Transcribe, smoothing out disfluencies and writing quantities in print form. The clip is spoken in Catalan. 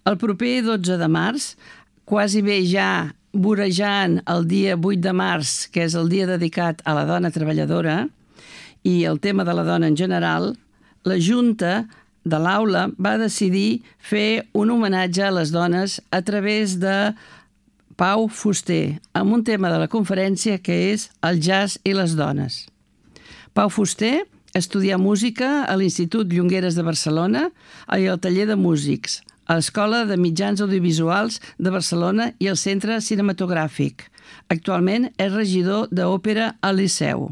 El proper 12 de març, quasi bé ja vorejant el dia 8 de març, que és el dia dedicat a la dona treballadora, i el tema de la dona en general, la Junta de l'Aula va decidir fer un homenatge a les dones a través de Pau Fuster, amb un tema de la conferència que és el jazz i les dones. Pau Fuster estudià música a l'Institut Llongueres de Barcelona i al taller de músics, a l'Escola de Mitjans Audiovisuals de Barcelona i al Centre Cinematogràfic. Actualment és regidor d'òpera al Liceu.